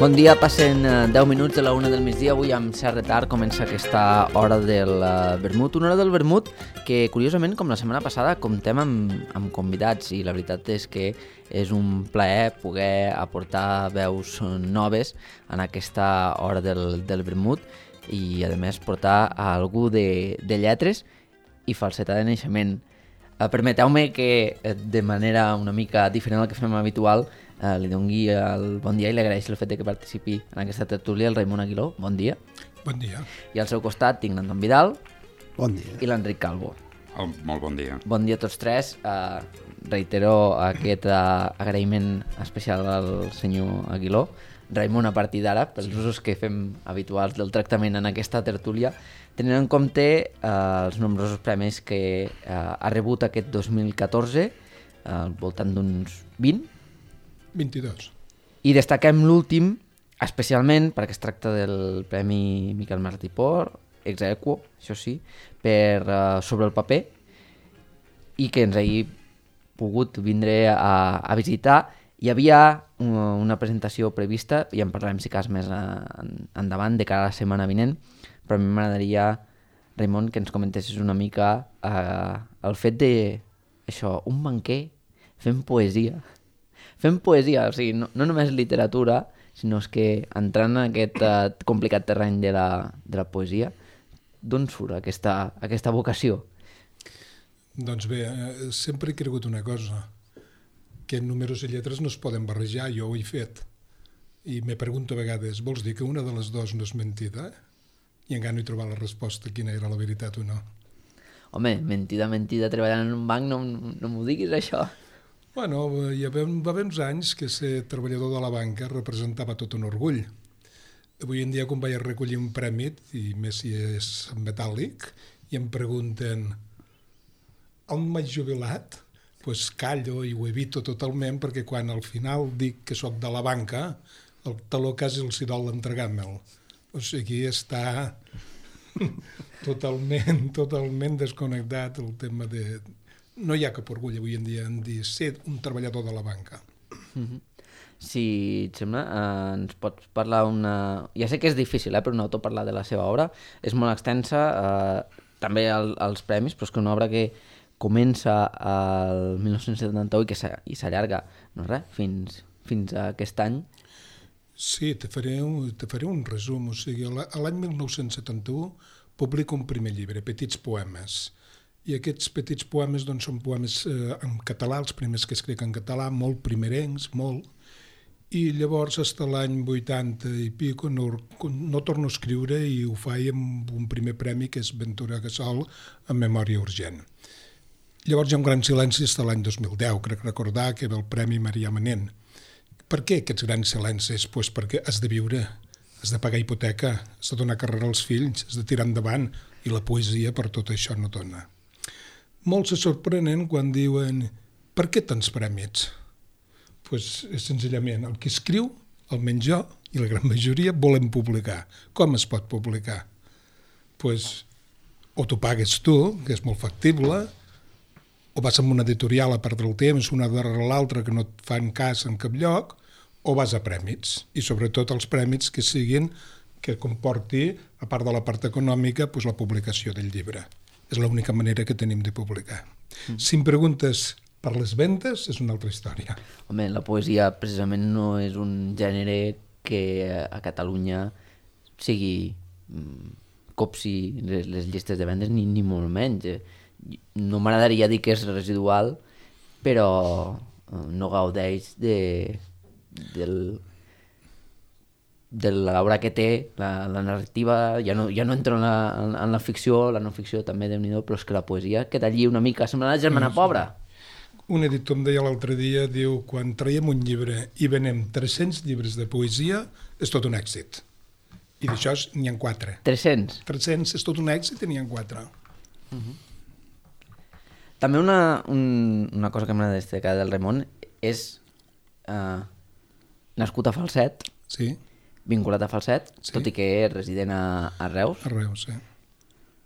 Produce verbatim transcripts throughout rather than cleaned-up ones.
Bon dia, passen deu minuts de la una del migdia. Avui amb cert retard comença aquesta hora del vermut. Una hora del vermut que, curiosament, com la setmana passada, comptem amb, amb convidats i la veritat és que és un plaer poder aportar veus noves en aquesta hora del, del vermut i, a més, portar a algú de, de lletres i falseta de naixement. Eh, permeteu-me que, de manera una mica diferent del que fem habitual, Uh, li doni el bon dia i li agraeixo el fet de que participi en aquesta tertúlia el Raimon Aguiló. Bon dia. Bon dia. I al seu costat tinc l'Anton Vidal. Bon dia. I l'Enric Calvo. Oh, molt bon dia. Bon dia a tots tres. Uh, reitero aquest uh, agraïment especial al senyor Aguiló. Raimon, a partir d'ara, pels usos que fem habituals del tractament en aquesta tertúlia, tenint en compte uh, els nombrosos premis que uh, ha rebut aquest dos mil catorze, uh, al voltant d'uns vint, vint-i-dos. I destaquem l'últim, especialment perquè es tracta del Premi Miquel Martí i Pol, ex aequo, això sí, per uh, Sobre el paper, i que ens hagi pogut vindre a, a visitar. Hi havia una, una presentació prevista, i en parlarem si cas més a, en, endavant, de cara a la setmana vinent, però a mi m'agradaria, Raimon, que ens comentessis una mica uh, el fet de, això, un banquer fent poesia. Fem poesia, o sigui, no, no només literatura, sinó que entrant en aquest uh, complicat terreny de la, de la poesia, d'on surt aquesta, aquesta vocació? Doncs bé, eh, sempre he cregut una cosa, que números i lletres no es poden barrejar, jo ho he fet. I me pregunto a vegades, vols dir que una de les dues no és mentida? I encara no he trobat la resposta, quina era la veritat o no. Home, mentida, mentida, treballant en un banc, no, no m'ho diguis, això. Bueno, hi va haver uns anys que ser treballador de la banca representava tot un orgull. Avui en dia, quan vaig a recollir un premi, i més si és en metàl·lic, i em pregunten on m'haig jubilat? Doncs pues callo i ho evito totalment, perquè quan al final dic que sóc de la banca, el taló quasi els hi dol d'entregar-me'l. O sigui, està totalment, totalment desconnectat el tema de... No hi ha cap orgull avui en dia en dir ser un treballador de la banca. Mm-hmm. Si et sembla, eh, ens pots parlar una... Ja sé que és difícil, eh, per un autor parlar de la seva obra. És molt extensa, eh, també el, els premis, però és que una obra que comença al mil nou-cents setanta-u i que i s'allarga, no res, fins, fins a aquest any. Sí, te faré un, te faré un resum. O sigui, l'any mil nou-cents setanta-u publico un primer llibre, Petits poemes. I aquests petits poemes doncs, són poemes eh, en català, els primers que escric en català, molt primerencs, molt, i llavors fins a l'any vuitanta i pico no, no torno a escriure i ho faig amb un primer premi que és Ventura Gassol en Memòria urgent. Llavors hi ha un gran silenci fins a l'any dos mil deu, crec recordar que ve el Premi Marià Manent. Per què aquests grans silencis? Pues perquè has de viure, has de pagar hipoteca, has de donar carrera als fills, has de tirar endavant, i la poesia per tot això no dona. Molts se sorprenen quan diuen per què tants premis? Pues és senzillament el que escriu, almenys jo, i la gran majoria, volem publicar. Com es pot publicar? Pues, o t'ho pagues tu, que és molt factible, o vas amb una editorial a perdre el temps, una darrere l'altra que no et fan cas en cap lloc, o vas a prèmits, i sobretot els prèmits que siguin, que comporti, a part de la part econòmica, pues la publicació del llibre. És l'única manera que tenim de publicar. Mm. Si em preguntes per les ventes, és una altra història. Home, la poesia precisament no és un gènere que a Catalunya sigui copsi les, les llistes de vendes, ni, ni molt menys. No m'agradaria dir que és residual, però no gaudeix de, del... de l'obra que té, la, la narrativa, ja no, ja no entro en la, en, en la ficció, la no-ficció també, Déu-n'hi-do, però és que la poesia queda allí una mica, sembla la germana sí, pobra. Un editor em deia l'altre dia, diu, quan traiem un llibre i venem tres-cents llibres de poesia, és tot un èxit. I d'això n'hi ha quatre. tres-cents? tres-cents és tot un èxit i n'hi ha quatre. Uh-huh. També una, un, una cosa que m'ha de destacar del Raimon és uh, nascut a Falset, sí. vinculat a Falset, sí. Tot i que és resident a, a Reus. A Reus, sí.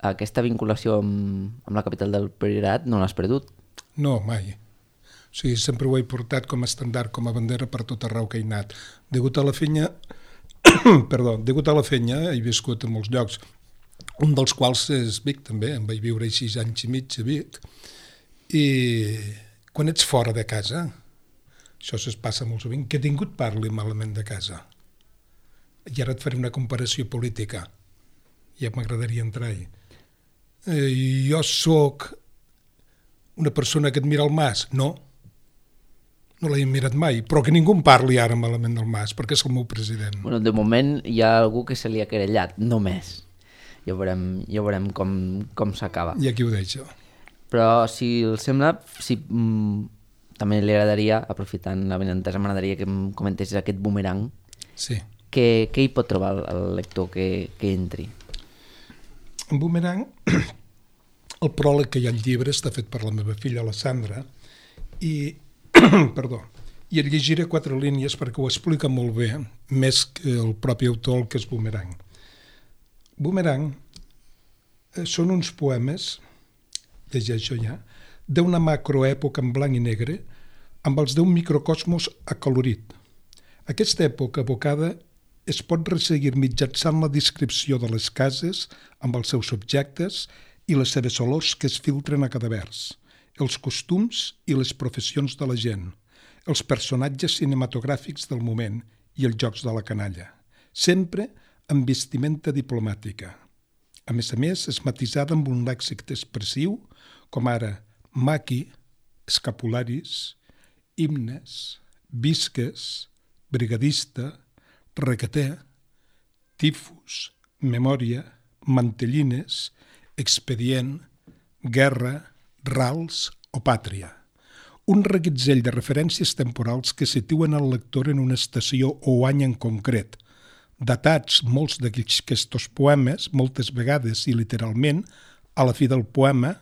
Aquesta vinculació amb, amb la capital del Priorat no l'has perdut? No, mai. O sigui, sempre ho he portat com a estandard, com a bandera per tot arreu que he anat. Degut a la feina, perdó, degut a la feina he viscut en molts llocs, un dels quals és Vic també, em vaig viure sis anys i mig a Vic, i quan ets fora de casa, això es passa molt sovint, que ningú et parli malament de casa. I ara et faré una comparació política, ja m'agradaria entrar-hi. Eh, jo sóc una persona que et mira el Mas? No, no l'he mirat mai, però que ningú em parli ara malament del Mas, perquè és el meu president. Bueno, de moment hi ha algú que se li ha querellat, només. Ja veurem, ja veurem com, com s'acaba. I aquí ho deixo. Però si el sembla, si, mm, també li agradaria, aprofitant la benentesa, m'agradaria que em comentessis aquest boomerang. Sí. Què, què hi pot trobar el, el lector que, que entri? En boomerang, el pròleg que hi ha al llibre està fet per la meva filla, la Sandra, i, perdó, i et llegiré quatre línies perquè ho explica molt bé, més que el propi autor, el que és boomerang. Boomerang eh, són uns poemes, llegeixo ja, d'una macroèpoca en blanc i negre amb els d'un microcosmos acolorit. Aquesta època evocada es pot resseguir mitjançant la descripció de les cases amb els seus objectes i les seves olors que es filtren a cada vers, els costums i les professions de la gent, els personatges cinematogràfics del moment i els jocs de la canalla, sempre amb vestimenta diplomàtica. A més a més, és matisada amb un lèxic expressiu, com ara maqui, escapularis, himnes, visques, brigadista, requeter, tifus, memòria, mantellines, expedient, guerra, rals o pàtria. Un reguitzell de referències temporals que situen el lector en una estació o any en concret, datats molts d'aquests poemes, moltes vegades i literalment, a la fi del poema,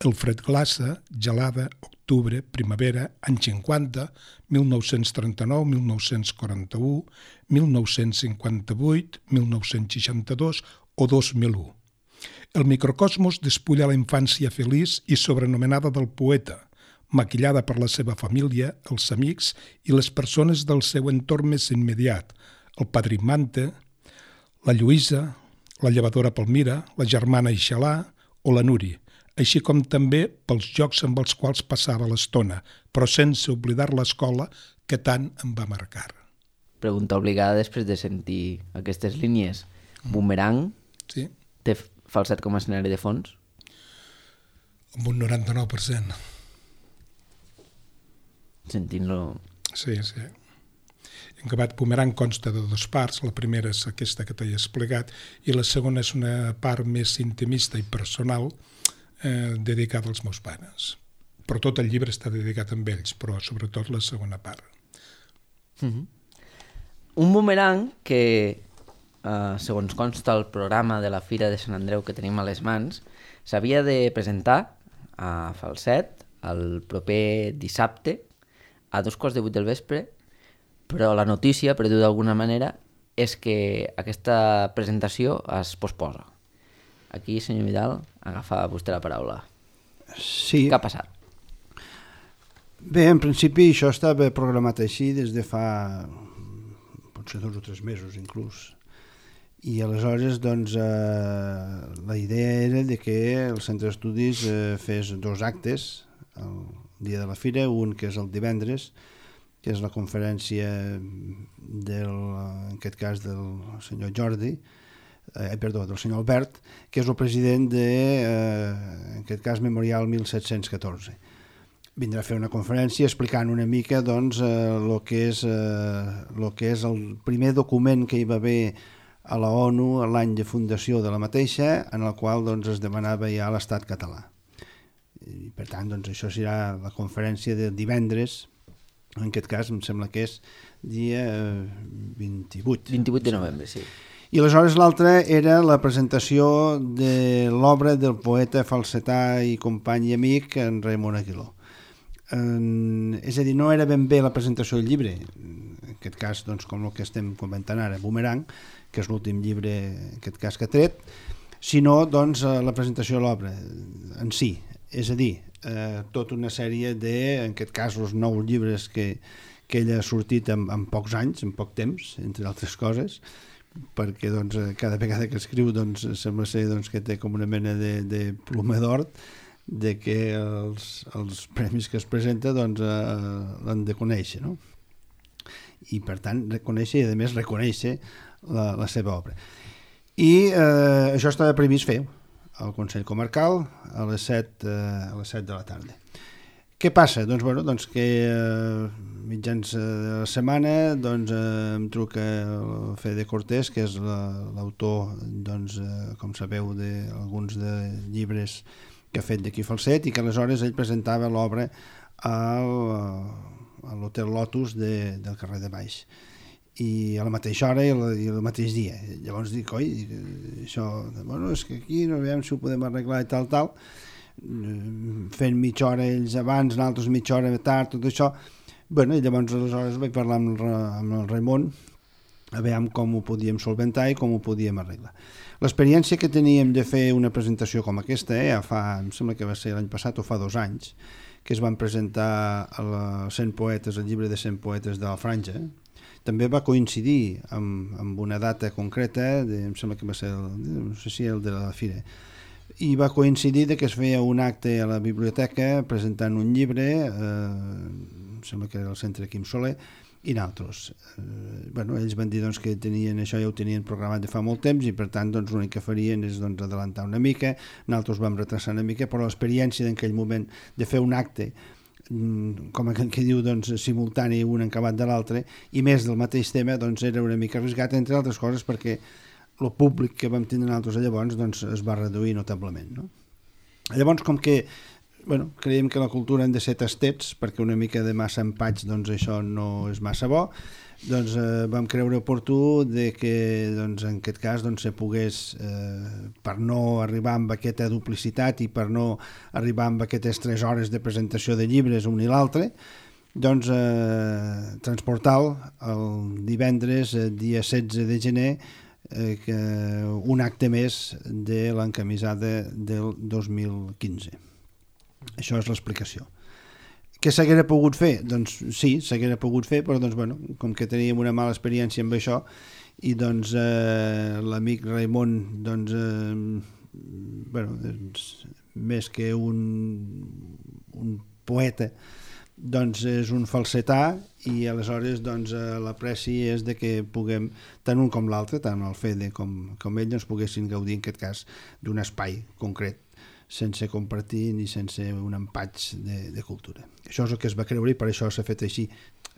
el fred glaça, gelada, octubre, primavera, anys cinquanta, mil nou-cents trenta-nou, mil nou-cents quaranta-u, mil nou-cents cinquanta-vuit, mil nou-cents seixanta-dos o dos mil u. El microcosmos despulla la infància feliç i sobrenomenada del poeta, maquillada per la seva família, els amics i les persones del seu entorn més immediat, el padrí Manta, la Lluïsa, la llevadora Palmira, la germana Ixalà o la Núria, així com també pels jocs amb els quals passava l'estona, però sense oblidar l'escola que tant em va marcar. Pregunta obligada després de sentir aquestes línies. Boomerang sí? Té falset com a escenari de fons? Amb un noranta-nou per cent. Sentint-lo... Sí, sí. En acabat, Boomerang consta de dues parts. La primera és aquesta que t'he explicat i la segona és una part més intimista i personal eh, dedicada als meus pares. Però tot el llibre està dedicat a ells, però sobretot la segona part. Mm-hmm. Un boomerang que, eh, segons consta el programa de la Fira de Sant Andreu que tenim a les mans, s'havia de presentar a Falset el proper dissabte a dos quarts de vuit del vespre, però la notícia, per dir-ho d'alguna manera, és que aquesta presentació es posposa. Aquí, senyor Vidal, agafa vostè la paraula. Sí. Què ha passat? Bé, en principi això estava programat així des de fa potser dos o tres mesos inclús. I aleshores doncs, eh, la idea era de que el centre d'estudis eh, fes dos actes el dia de la fira, un que és el divendres, que és la conferència del, en aquest cas del senyor Jordi, eh, perdó, del senyor Albert, que és el president de, eh, en aquest cas, Memorial mil set-cents catorze. Vindrà a fer una conferència explicant una mica doncs, eh, lo que és, eh, lo que és el primer document que hi va haver a la ONU a l'any de fundació de la mateixa, en el qual doncs, es demanava ja l'estat català. I, per tant, doncs, això serà la conferència de divendres. En aquest cas em sembla que és dia vint-i-vuit. vint-i-vuit de novembre, sí. I aleshores l'altre era la presentació de l'obra del poeta falsetà i company i amic en Raimon Aguiló. En, és a dir, no era ben bé la presentació del llibre, en aquest cas doncs, com el que estem comentant ara, Boomerang, que és l'últim llibre en aquest cas que ha tret, sinó doncs, la presentació de l'obra en si, és a dir, Eh, tota una sèrie de, en aquest cas, els nou llibres que, que ell ha sortit en, en pocs anys, en poc temps, entre altres coses, perquè doncs, cada vegada que escriu doncs, sembla ser doncs, que té com una mena de, de ploma d'or de que els, els premis que es presenta doncs, eh, l'han de conèixer, no? I per tant reconèixer i a més reconèixer la, la seva obra. I eh, això estava previst fer al Consell Comarcal a les set, eh, a les set de la tarda. Què passa? Doncs, bueno, doncs que eh, mitjans de la setmana doncs, eh, em truca el Fede Cortés, que és l'autor, doncs, eh, com sabeu, d'alguns de llibres que ha fet d'aquí Falset, i que aleshores ell presentava l'obra al, a l'Hotel Lotus de, del carrer de Baix. I a la mateixa hora i el, i el mateix dia. Llavors dic, oi, això, bueno, és que aquí no veiem si ho podem arreglar i tal, tal, fent mitja hora ells abans, nosaltres mitja hora tard, tot això. Bueno, i llavors aleshores vaig parlar amb el, amb el Raimon a veure com ho podíem solventar i com ho podíem arreglar. L'experiència que teníem de fer una presentació com aquesta, eh, fa, em sembla que va ser l'any passat o fa dos anys, que es van presentar a la cent poetes, el llibre de cent poetes de la Franja, també va coincidir amb, amb una data concreta, de, em sembla que va ser el, no sé si el de la Fira, i va coincidir que es feia un acte a la biblioteca presentant un llibre, eh, em sembla que era el Centre Quim Soler, i nosaltres. Eh, bueno, ells van dir doncs, que tenien això, ja ho tenien programat de fa molt temps, i per tant doncs, l'únic que farien és doncs, adelantar una mica, nosaltres vam retrasar una mica, però l'experiència d'aquell moment de fer un acte com aquell que diu doncs, simultani un acabat de l'altre, i més del mateix tema, doncs, era una mica arriscat, entre altres coses perquè el públic que vam tindre nosaltres llavors doncs, es va reduir notablement, no? Llavors, com que bueno, creiem que la cultura han de ser tastets, perquè una mica de massa empatx doncs, això no és massa bo, doncs eh, vam creure oportú de que doncs, en aquest cas doncs, se pogués, eh, per no arribar amb aquesta duplicitat i per no arribar amb aquestes tres hores de presentació de llibres un i l'altre, doncs eh, transportar-lo el divendres, eh, dia setze de gener, eh, que un acte més de l'encamisada del dos mil quinze. Això és l'explicació. Què s'haguera pogut fer? Doncs sí, s'haguera pogut fer, però doncs, bueno, com que teníem una mala experiència amb això, i doncs eh, l'amic Raimon, doncs, eh, bueno, doncs, més que un, un poeta, doncs és un falsetà, i aleshores doncs, l'apreci és de que puguem, tant un com l'altre, tant el Fede com, com ell, doncs, poguessin gaudir en aquest cas d'un espai concret, sense compartir ni sense un empatx de, de cultura. Això és el que es va creure i per això s'ha fet així.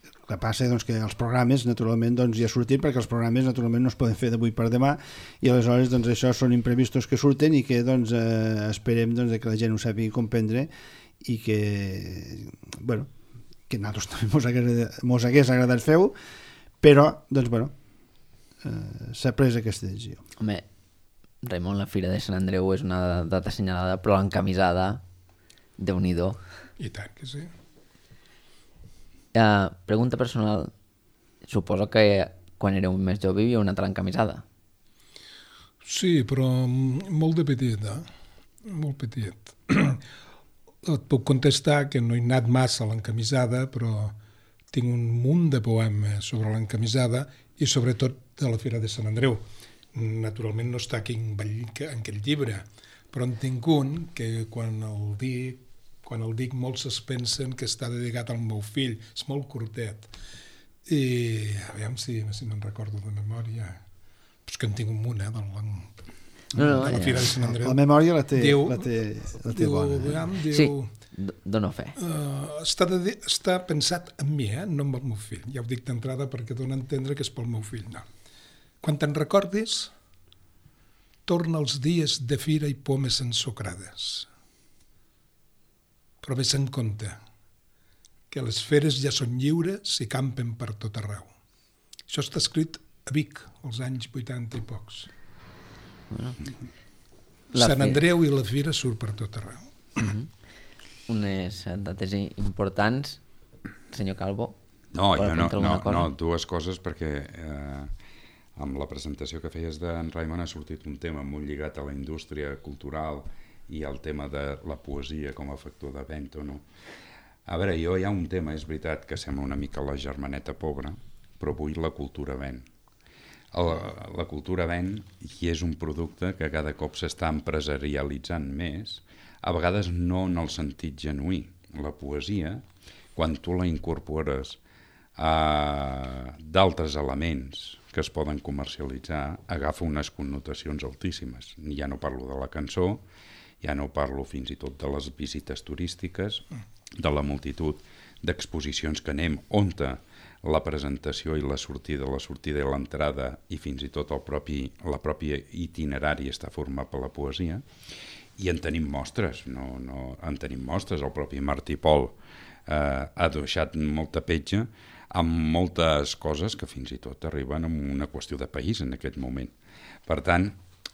El que passa doncs, que els programes naturalment doncs, ja surten, perquè els programes naturalment no es poden fer d'avui per demà, i aleshores doncs, això són imprevistos que surten i que doncs, eh, esperem doncs, que la gent ho sàpiga comprendre i que, bueno, que a nosaltres també mos, agrada, mos hagués agradat fer-ho, però doncs, bueno, eh, s'ha pres aquesta decisió. Home, Raimon, la Fira de Sant Andreu és una data assenyalada, però l'encamisada, Déu-n'hi-do. I tant que sí. Uh, pregunta personal. Suposo que quan éreu més jove hi havia una altra encamisada. Sí, però molt de petit, eh? Molt petit. Et puc contestar que no he anat massa a l'encamisada, però tinc un munt de poemes sobre l'encamisada i sobretot de la Fira de Sant Andreu. Naturalment no està aquí en, en aquell llibre, però en tinc un que quan el dic, quan el dic molts es pensen que està dedicat al meu fill, és molt curtet. I a veure si, si me'n recordo de memòria. Però és que en tinc un munt, eh, de la, no, no, de la Fira de Sant Andreu. La memòria la té, diu, la té, la té diu, bona. Eh? Veiem, diu, sí, dona fe. Uh, està, de, està pensat en mi, eh, no en el meu fill. Ja ho dic d'entrada perquè dona a entendre que és pel meu fill. No. Quan te'n recordis, torna els dies de fira i pomes ensucrades. Però ves en compte que les feres ja són lliures i campen per tot arreu. Això està escrit a Vic, als anys vuitanta i pocs. Bueno, Sant Andreu i la fira surt per tot arreu. Uh-huh. Unes dates importants, senyor Calvo. No, jo no, no, no, dues coses, perquè eh, amb la presentació que feies d'en Raimon ha sortit un tema molt lligat a la indústria cultural i al tema de la poesia com a factor de venda, no? A veure, jo hi ha un tema, és veritat, que sembla una mica la germaneta pobra, però avui la cultura ven. La, la cultura ven i és un producte que cada cop s'està empresarialitzant més, a vegades no en el sentit genuí. La poesia, quan tu la incorpores a d'altres elements que es poden comercialitzar, agafa unes connotacions altíssimes. Ja no parlo de la cançó, ja no parlo fins i tot de les visites turístiques, de la multitud d'exposicions que anem, on la presentació i la sortida, la sortida i l'entrada i fins i tot el propi, la pròpia itinerari està format per la poesia, i en tenim mostres, no, no, en tenim mostres. El propi Martí Pol eh, ha deixat molta petja amb moltes coses que fins i tot arriben a una qüestió de país en aquest moment. Per tant,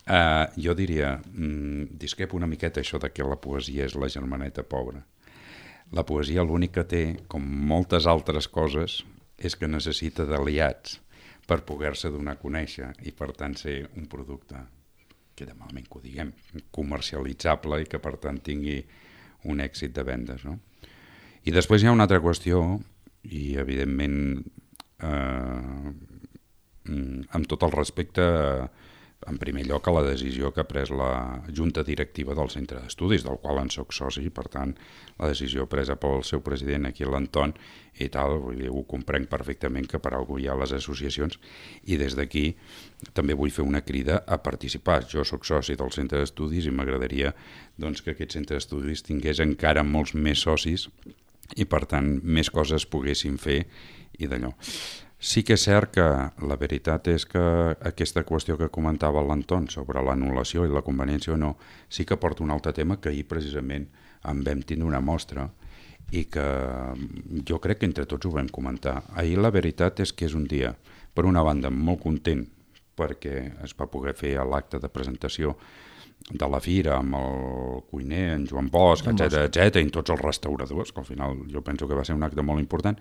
eh, jo diria, mm, discrepo una miqueta això de que la poesia és la germaneta pobra. La poesia l'únic que té, com moltes altres coses, és que necessita d'aliats per poder-se donar a conèixer i per tant ser un producte, queda malament que ho diguem, comercialitzable i que per tant tingui un èxit de vendes, no? I després hi ha una altra qüestió, i evidentment eh, amb tot el respecte, en primer lloc a la decisió que ha pres la Junta Directiva del Centre d'Estudis, del qual en soc soci, per tant la decisió presa pel seu president aquí a l'Anton i tal, vull dir, ho comprenc perfectament que per alguna cosa hi ha les associacions, i des d'aquí també vull fer una crida a participar. Jo soc soci del Centre d'Estudis i m'agradaria doncs, que aquest Centre d'Estudis tingués encara molts més socis i per tant més coses poguessin fer i d'allò. Sí que és cert que la veritat és que aquesta qüestió que comentava l'Anton sobre l'anul·lació i la conveniència o no, sí que porta un altre tema que ahir precisament en vam tindre una mostra i que jo crec que entre tots ho vam comentar. Ahir la veritat és que és un dia, per una banda, molt content perquè es va poder fer l'acte de presentació de la fira amb el cuiner, en Joan Bosch, etcètera, etcètera, i tots els restauradors, que al final jo penso que va ser un acte molt important,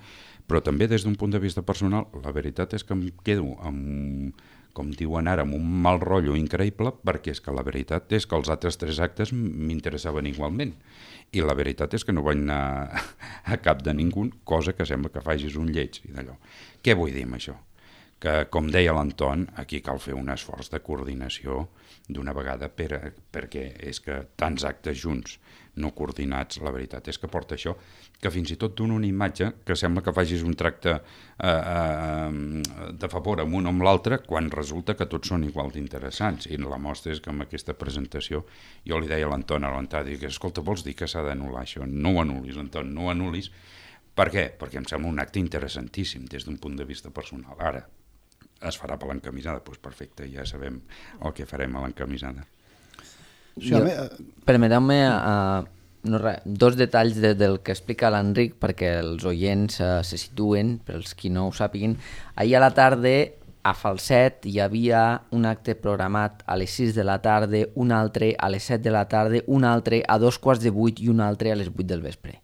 però també des d'un punt de vista personal, la veritat és que em quedo amb, com diuen ara, amb un mal rotllo increïble, perquè és que la veritat és que els altres tres actes m'interessaven igualment, i la veritat és que no vaig anar a cap de ningú, cosa que sembla que facis un lleig i d'allò. Què vull dir amb això? Que, com deia l'Anton, aquí cal fer un esforç de coordinació d'una vegada per, perquè és que tants actes junts no coordinats, la veritat és que porta això, que fins i tot dona una imatge que sembla que facis un tracte eh, eh, de favor amb un o amb l'altre quan resulta que tots són igual d'interessants, i la mostra és que amb aquesta presentació jo li deia a l'Anton a l'entrada, dic, escolta, vols dir que s'ha d'anul·lar això? No ho anulis, Anton, no ho anulis. Per què? Perquè em sembla un acte interessantíssim des d'un punt de vista personal. Ara, es farà per l'encamisada, doncs perfecte, ja sabem el que farem a l'encamisada. Sí, jo, permeteu-me uh, no, dos detalls de, del que explica l'Enric perquè els oients uh, se situen, per als qui no ho sàpiguin. Ahir a la tarda, a Falset, hi havia un acte programat a les sis de la tarda, un altre a les set de la tarda, un altre a dos quarts de vuit i un altre a les vuit del vespre.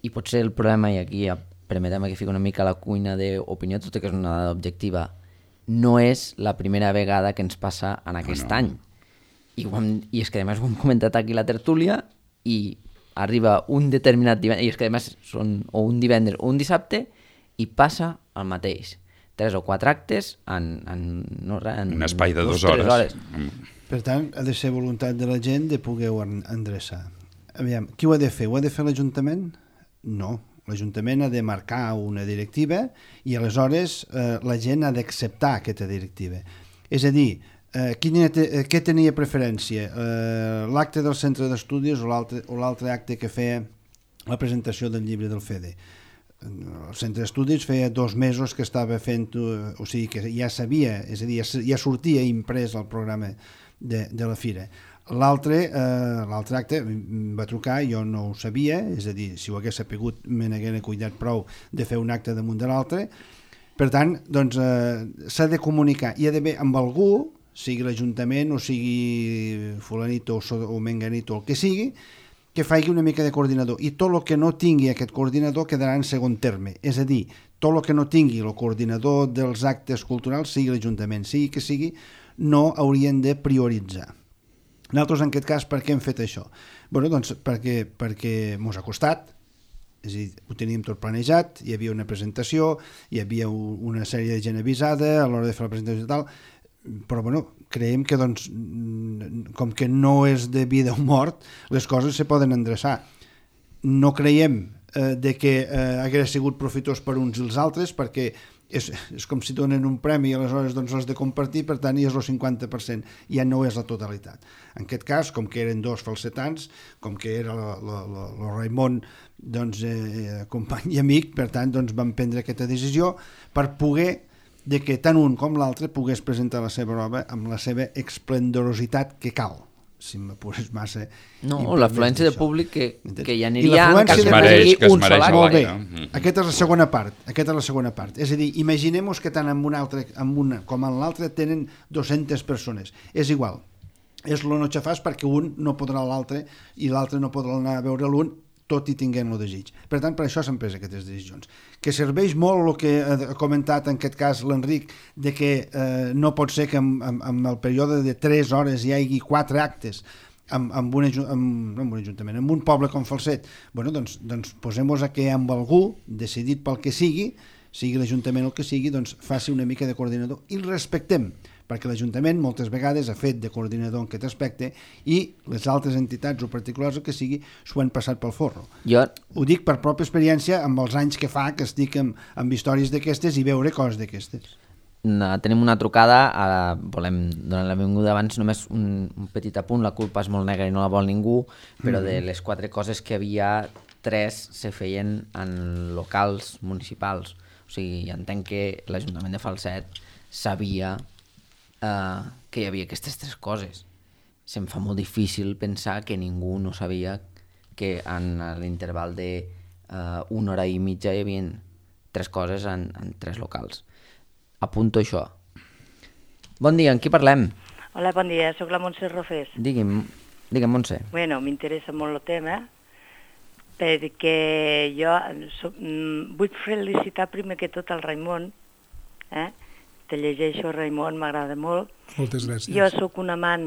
I potser el problema, i aquí permetem que fico una mica a la cuina d'opinió, tot i que és una dada objectiva, no és la primera vegada que ens passa en aquest oh, no. any. I, hem, I és que a més ho hem comentat aquí a la tertúlia i arriba un determinat divendres, i és que a més són o un divendres o un dissabte i passa el mateix. Tres o quatre actes en, en, no, en un espai de dues hores. hores. Per tant, ha de ser voluntat de la gent de poder-ho endreçar. Aviam, qui ho ha de fer? Ho ha de fer l'Ajuntament? No. L'Ajuntament ha de marcar una directiva i aleshores eh, la gent ha d'acceptar aquesta directiva. És a dir, eh, quina te, què tenia preferència? Eh, l'acte del centre d'estudis o l'altre acte que feia la presentació del llibre del Fede? El centre d'estudis feia dos mesos que estava fent, o sigui que ja sabia, és a dir, ja sortia imprès el programa de, de la fira. L'altre eh, l'altre acte em va trucar, jo no ho sabia, és a dir, si ho hagués sapigut me n'hagués cuidat prou de fer un acte damunt de l'altre. Per tant, doncs, eh, s'ha de comunicar, hi ha d'haver amb algú, sigui l'Ajuntament o sigui fulanito o, o menganito o el que sigui, que faci una mica de coordinador, i tot el que no tingui aquest coordinador quedarà en segon terme, és a dir, tot el que no tingui el coordinador dels actes culturals, sigui l'Ajuntament, sigui que sigui, no haurien de prioritzar. Nosaltres, en aquest cas, per què hem fet això? Bé, doncs perquè, perquè mos ha costat, És a dir, ho teníem tot planejat, hi havia una presentació, hi havia una sèrie de gent avisada a l'hora de fer la presentació i tal, però bueno, creiem que doncs, com que no és de vida o mort, les coses se poden endreçar. No creiem eh, de que eh, hagués sigut profitós per uns i els altres, perquè és, és com si donen un premi i aleshores doncs l'has de compartir, per tant, i és el cinquanta per cent, ja no és la totalitat. En aquest cas, com que eren dos falsetans, com que era el Raimon doncs, eh, company i amic, per tant, doncs, vam prendre aquesta decisió per poder de que tant un com l'altre pogués presentar la seva obra amb la seva esplendorositat que cal, si m'apures massa. No, l'afluència de públic que, que hi aniria... I l'afluència de públic que es mereix. Molt bé, aquesta és la segona part, aquesta és la segona part. És a dir, imaginem-nos que tant en una, altra, en una com en l'altra tenen dues-centes persones. És igual, és lo no xafàs perquè un no podrà l'altre i l'altre no podrà anar a veure l'un, tot i tinguem el desig. Per tant, per això s'han pres aquestes decisions. Que serveix molt el que ha comentat en aquest cas l'Enric, de que eh, no pot ser que en, en, en el període de tres hores hi hagi quatre actes amb, amb, un, amb, no amb un ajuntament, amb un poble com Falset. Bueno, doncs, doncs posem-nos a que amb algú, decidit pel que sigui, sigui l'Ajuntament el que sigui, doncs faci una mica de coordinador i el respectem, perquè l'Ajuntament moltes vegades ha fet de coordinador en aquest aspecte i les altres entitats o particulars el que sigui s'ho han passat pel forro. Jo... Ho dic per pròpia experiència amb els anys que fa que estic amb, amb històries d'aquestes i veure coses d'aquestes. No, tenim una trucada, ara volem donar la benvinguda. Abans només un, un petit apunt, la culpa és molt negra i no la vol ningú, però mm-hmm. de les quatre coses que havia, tres se feien en locals municipals. O sigui, entenc que l'Ajuntament de Falset sabia Uh, que hi havia aquestes tres coses. Se'm fa molt difícil pensar que ningú no sabia que en l'interval de uh, una hora i mitja hi havia tres coses en, en tres locals. Apunto això. Bon dia, amb qui parlem? Hola, bon dia, sóc la Montse Rofés. Digui'm, digue'm Montse. Bueno, m'interessa molt el tema perquè jo soc, vull felicitar primer que tot el Raimon, eh? Te llegeixo, Raimon, m'agrada molt. Moltes gràcies. Jo sóc un amant,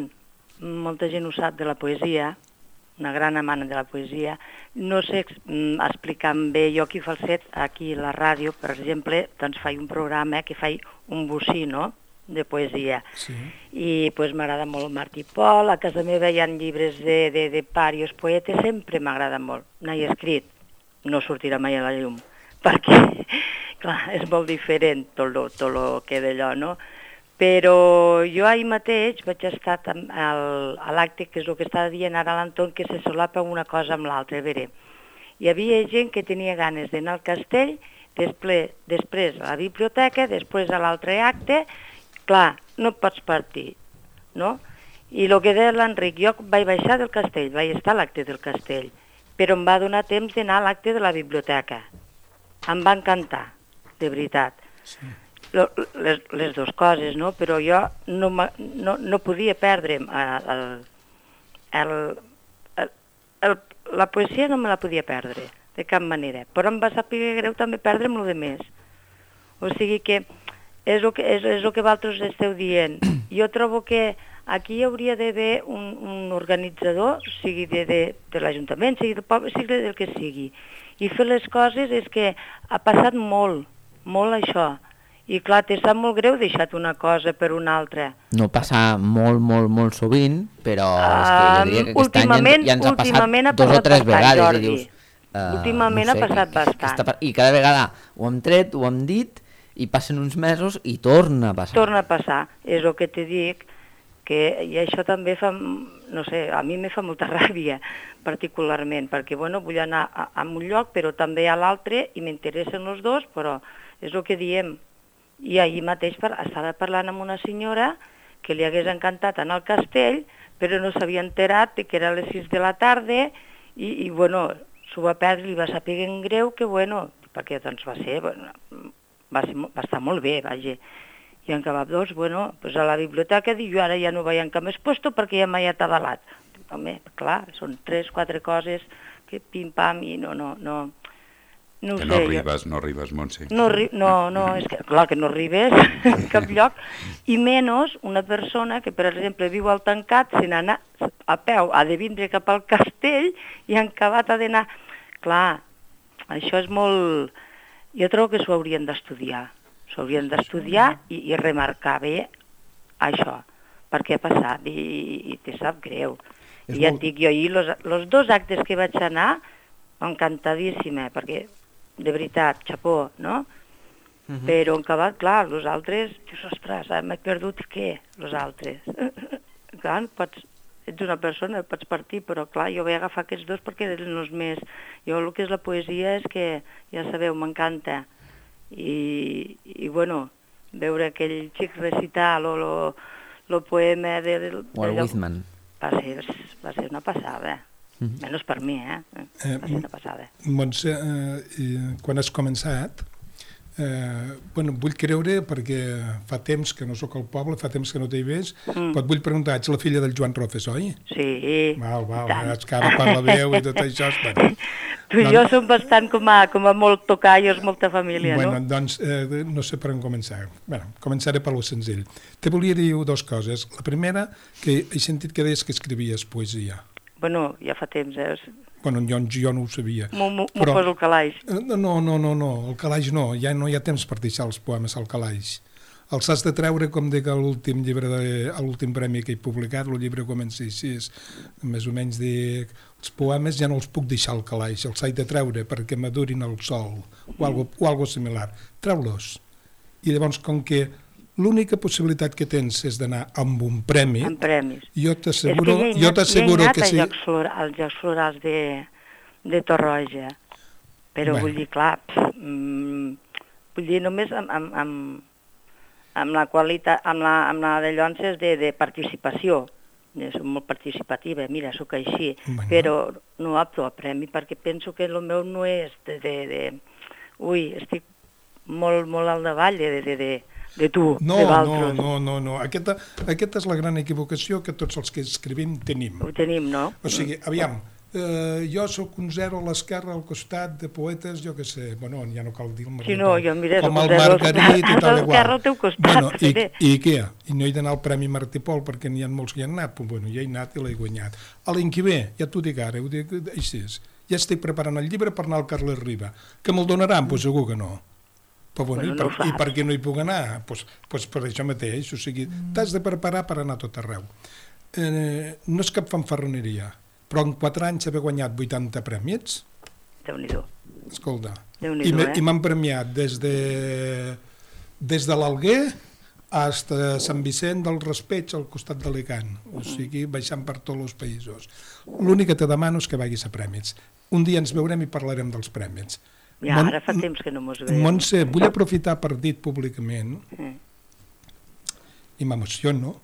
molta gent ho sap, de la poesia, una gran amant de la poesia. No sé explicar bé, jo aquí a Falset, aquí a la ràdio, per exemple, doncs faig un programa que faig un bocí, no?, de poesia. Sí. I pues, m'agrada molt Martí Pol, a casa meva hi ha llibres de, de, de parios poetes, sempre m'agrada molt. N'he escrit, no sortirà mai a la llum, perquè... Clar, és molt diferent tot el tot lo que d'allò, no? Però jo ahir mateix vaig estar al, a l'acte, que és el que estava dient ara l'Anton, que se solapa una cosa amb l'altra. A veure, hi havia gent que tenia ganes d'anar al castell, després, després a la biblioteca, després a l'altre acte. Clar, no pots partir, no? I el que deia l'Enric, jo vaig baixar del castell, vaig estar a l'acte del castell, però em va donar temps d'anar a l'acte de la biblioteca. Em va encantar. De veritat. Sí. Les, les dues coses, no? Però jo no, no, no podia perdre'm el, el, el, el, la poesia no me la podia perdre, de cap manera. Però em va saber greu també perdre'm el de més. O sigui que és el que, és, és el que vosaltres esteu dient. Jo trobo que aquí hi hauria d'haver un, un organitzador, sigui de, de, de l'Ajuntament, sigui del poble, sigui del que sigui. I fer les coses és que ha passat molt, molt això, i clar, t'he sap molt greu deixat una cosa per una altra. No passa molt, molt, molt sovint, però és que jo diria que aquest any ja ens ha passat dos o tres vegades. Jordi. I dius, uh, últimament no sé, ha passat que, bastant. Que I cada vegada ho hem tret, ho hem dit, i passen uns mesos i torna a passar. Torna a passar, és el que te dic, que i això també fa, no sé, a mi me fa molta ràbia, particularment, perquè, bueno, vull anar a, a un lloc, però també a l'altre, i m'interessen els dos, però és el que diem. I ahir mateix per, estava parlant amb una senyora que li hagués encantat anar al castell, però no s'havia enterat que era a les sis de la tarda, i, i bueno, s'ho va perdre, li va saber en greu, que bueno, perquè doncs va ser, bueno, va, ser, va estar molt bé, vaja. I en cap dos, bueno, pues a la biblioteca, dic, jo ara ja no vaig en cap més puesto perquè ja m'he atabalat. Home, clar, són tres, quatre coses que pim-pam i no, no, no... No que sé, no arribes, jo... no arribes, Montse. No, no, no, és que clar que no arribes en cap lloc, i menys una persona que, per exemple, viu al tancat, se n'ha a peu, ha de vindre cap al castell i en acabat ha d'anar... Clar, això és molt... Jo trobo que s'ho haurien d'estudiar. S'ho haurien d'estudiar i, i remarcar bé això, perquè ha passat i, i te sap greu. És I ja molt- et dic jo, ahir, els dos actes que vaig anar, encantadíssima, perquè, de veritat, xapó, no? Uh -huh. Però en acabat, clar, els altres, dius, ostres, m'he perdut què, els altres? Clar, pots, ets una persona, pots partir, però clar, jo vaig agafar aquests dos perquè eren els més... Jo el que és la poesia és que, ja sabeu, m'encanta. I, i bueno, veure aquell xic recitar lo, lo, lo poema de... de, de Walt Whitman. Va ser, va ser una passada. Mm-hmm. Menys per mi, eh? Va ser una passada. Montse, eh, quan has començat, eh, bueno, vull creure, perquè fa temps que no sóc al poble, fa temps que no t'hi ves, mm. però et vull preguntar, ets la filla del Joan Rofes, oi? Sí. Val, val, és que ara per la veu i tot això... Bueno, tu i jo som bastant com a, com a molt tocallos, molta família, bueno, no? doncs eh, no sé per on començar. Bueno, començaré per lo senzill. Te volia dir dues coses. La primera, que he sentit que deies que escrivies poesia. Bueno, ja fa temps, eh? Bueno, jo, jo no ho sabia. M'ho Però- poso el calaix. No, no, no, no, no, el calaix no, ja no hi ha temps per deixar els poemes al calaix. Els has de treure, com dic a l'últim llibre, de, a l'últim premi que he publicat, el llibre comença així, és, més o menys dic, els poemes ja no els puc deixar al calaix, els he de treure perquè madurin al sol, o algo, o algo similar. Treu-los. I llavors, com que l'única possibilitat que tens és d'anar amb un premi, Amb premis. jo És que t'asseguro, ja he jo anat, t'asseguro ja he que anat sí. als Jocs, Flora, als Jocs Florals de, de Torroja, però Bueno. vull dir, clar, pff, mm, vull dir, només amb, amb, amb, amb la qualitat, amb la, amb la de llonces de, de participació. Jo soc molt participativa, mira, sóc així, Bueno. però no opto a premi perquè penso que el meu no és de... de, de ui, estic molt, molt al davall de, de, de, de tu, No, de no, Valtros. no, no, no. Aquesta, aquesta és la gran equivocació que tots els que escrivim tenim. Ho tenim, no? O sigui, aviam, eh, jo sóc un zero a l'esquerra al costat de poetes, jo què sé, bueno, ja no cal dir el Sí, no, jo, mira, com sóc el un zero Margarit i a tal l'esquerra igual. al teu costat, Bueno, i, també. i què? I no he d'anar al Premi Martí Pol perquè n'hi ha molts que hi han anat? Pues, bueno, ja he anat i l'he guanyat. A l'any que ve, ja t'ho dic ara, ho dic així és. Ja estic preparant el llibre per anar al Carles Riba. Que me'l donaran? Pues segur que no. Però bueno, Bueno, i, no per, ho i saps. per què no hi puc anar? Pues, pues per això mateix, o sigui, t'has de preparar per anar a tot arreu. Eh, no és cap fanfarroneria, però en quatre anys haver guanyat vuitanta prèmits, Déu-n'hi-do. escolta, Déu-n'hi-do, i, me- eh? i m'han premiat des de, des de l'Alguer fins a Sant Vicent del Raspeig al costat d'Alicant, o sigui, baixant per tots els països. L'únic que te demano és que vagis a prèmits. Un dia ens veurem i parlarem dels prèmits. Ja, Mon- ara fa temps que no mos veiem. Montse, vull aprofitar per dir públicament, Eh. i m'emociono,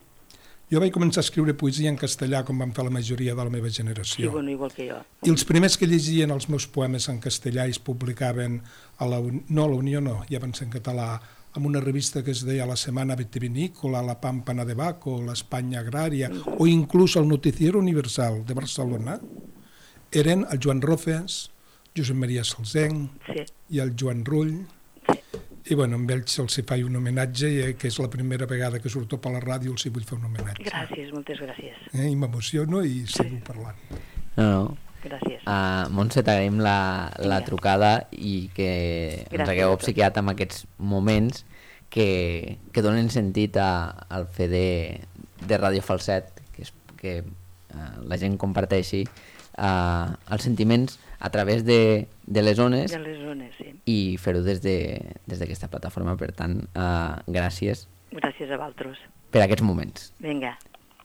jo vaig començar a escriure poesia en castellà com van fer la majoria de la meva Sí, generació. bueno, igual que jo. I els primers que llegien els meus poemes en castellà i es publicaven a la, Uni- no a la Unió, no, ja van ser en català, amb una revista que es deia La Semana Vitivinícola, La Pámpana de Baco, l'Espanya Agrària, o inclús el Noticiero Universal de Barcelona, eren el Joan Rofes, Josep Maria Salsenc Sí, i el Joan Rull, sí. i bueno, amb ells els hi faig un homenatge, i, eh, que és la primera vegada que surto per la ràdio, els hi vull fer un homenatge. Gràcies, moltes gràcies. Eh? I m'emociono i seguo parlant. No, no. Gràcies. Uh, Montse, t'agraïm la, la Vinga. trucada i que ens Gràcies hagueu a obsequiat amb aquests moments que, que donen sentit a, al fer de, de Ràdio Falset, que, és, que uh, la gent comparteixi uh, els sentiments a través de, de les ones De les zones, sí. i fer-ho des de- des d'aquesta plataforma. Per tant, uh, gràcies Gràcies a Valtros. per aquests moments. Vinga.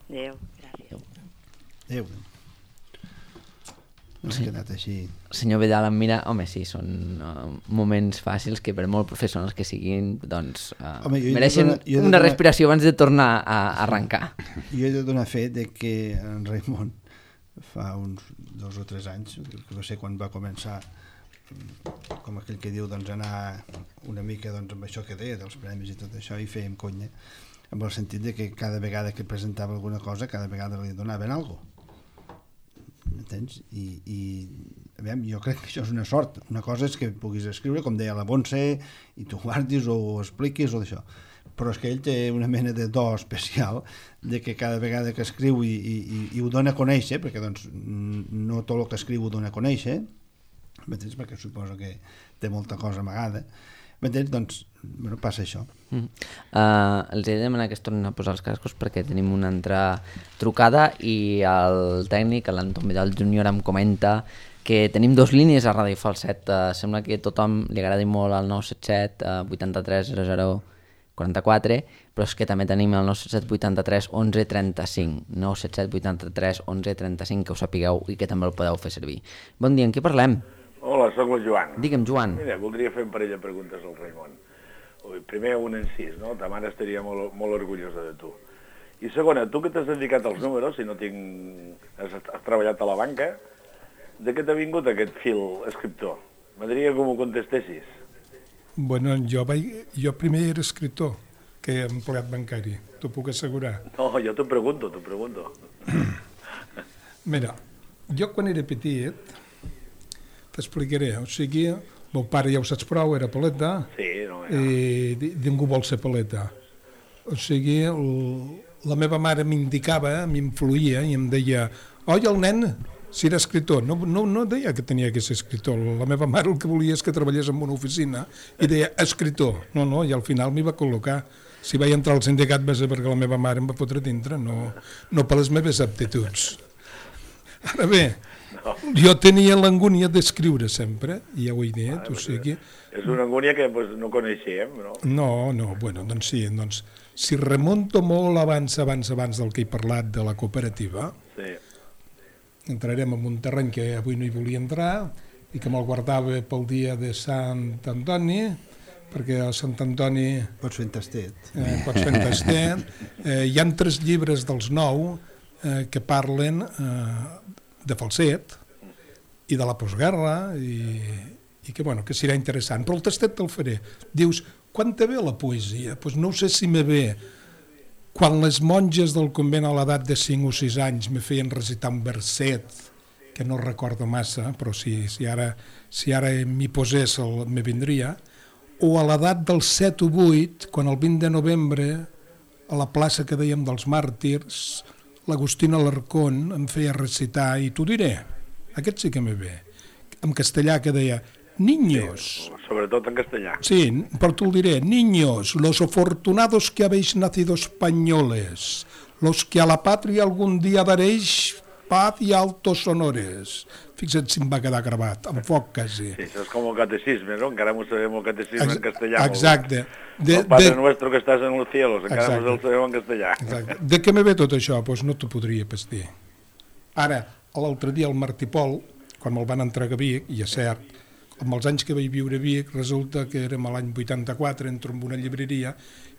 Adéu. Gràcies. Adéu. No s'ha quedat així. Senyor Vidal em mira, home, sí, són uh, moments fàcils que per molt professionals que siguin, doncs uh, Home, jo he de mereixen donar- jo he de una donar- respiració abans de tornar a arrencar. Jo he de donar fe de que en Raimon fa uns dos o tres anys, que no sé quan va començar, com aquell que diu, doncs anar una mica doncs, amb això que deia, dels premis i tot això, i fèiem conya, amb el sentit de que cada vegada que presentava alguna cosa, cada vegada li donaven alguna cosa. M'entens? I, i aviam, jo crec que això és una sort. Una cosa és que puguis escriure, com deia la Montse, i tu guardis o ho expliquis o d'això. Però és que ell té una mena de do especial de que cada vegada que escriu i, i, i ho dona a conèixer, perquè doncs, no tot el que escriu ho dona a conèixer, m'entens? Perquè suposo que té molta cosa amagada, m'entens? Doncs, bueno, passa això. Mm. Uh, els he de demanar que es tornin a posar els cascos perquè tenim una altra trucada i el tècnic, l'Anton Vidal júnior, em comenta que tenim dos línies a Ràdio Falset. Uh, sembla que a tothom li agradi molt el nou set set vuitanta-tres zero zero quaranta-quatre, però és que també tenim el nou set set vuitanta-tres onze trenta-cinc, nou set set vuitanta-tres onze trenta-cinc, que ho sapigueu i que també el podeu fer servir. Bon dia, en què parlem? Hola, sóc el Joan. Digue'm, Joan. Mira, voldria fer un parell de preguntes al Raimon. Primer, un encís, no? Ta mare estaria molt, molt orgullosa de tu. I segona, tu que t'has dedicat als números, si no tinc... Has, has treballat a la banca, de què t'ha vingut aquest fil escriptor? M'agradaria que m'ho contestessis. Bueno, jo, vaig, jo primer era escriptor que empleat bancari, t'ho puc assegurar. No, jo t'ho pregunto, t'ho pregunto. Mira, jo quan era petit, t'explicaré, o sigui, meu pare ja ho saps prou, era paleta, Sí, no, ja. i ningú vol ser paleta. O sigui, el, la meva mare m'indicava, m'influïa i em deia, oi, el nen, si era escriptor, no, no, no deia que tenia que ser escriptor, la meva mare el que volia és que treballés en una oficina i deia escriptor, no, no, i al final m'hi va col·locar. Si vaig entrar al sindicat va ser perquè la meva mare em va fotre dintre, no, no per les meves aptituds. Ara bé, no. Jo tenia l'angúnia d'escriure sempre, i ja ho he dit, ah, o sigui... És una angúnia que pues, no coneixem, no? No, no, bueno, doncs sí, doncs, si remonto molt abans, abans, abans del que he parlat de la cooperativa, Sí. entrarem en un terreny que avui no hi volia entrar i que me'l guardava pel dia de Sant Antoni, perquè a Sant Antoni... Pots fer en tastet. Eh, pots fer en tastet. Eh, hi ha tres llibres dels nou eh, que parlen eh, de Falset i de la postguerra i, i que, bueno, que serà interessant. Però el tastet te'l faré. Dius, quan te ve la poesia? Doncs pues no sé si me ve quan les monges del convent a l'edat de cinc o sis anys me feien recitar un verset que no recordo massa, però si, si ara, si ara m'hi posés el, me vindria, o a l'edat dels set o vuit, quan el vint de novembre a la plaça que dèiem dels màrtirs, l'Agustina Alarcón em feia recitar, i t'ho diré, aquest sí que me ve, en castellà, que deia, niños, Sobretot en castellà. sí, però t'ho diré, niños, los afortunados que habéis nacido españoles, los que a la patria algún día daréis paz y altos honores. Fixa't si em va quedar gravat, amb foc quasi. Sí, això és com el catecisme, no? Encara m'ho sabem el catecisme Ex en castellà. exacte. De, el Padre de... Nuestro que estàs en los cielos, encara Exacte. mos el sabem en castellà. Exacte. De què me ve tot això? Doncs pues no t'ho podria pas dir. Ara, l'altre dia el Martí Pol, quan me'l van entregar a Vic, i és cert, amb els anys que vaig viure a Vic, resulta que érem a l'any vuitanta-quatre, entro en una llibreria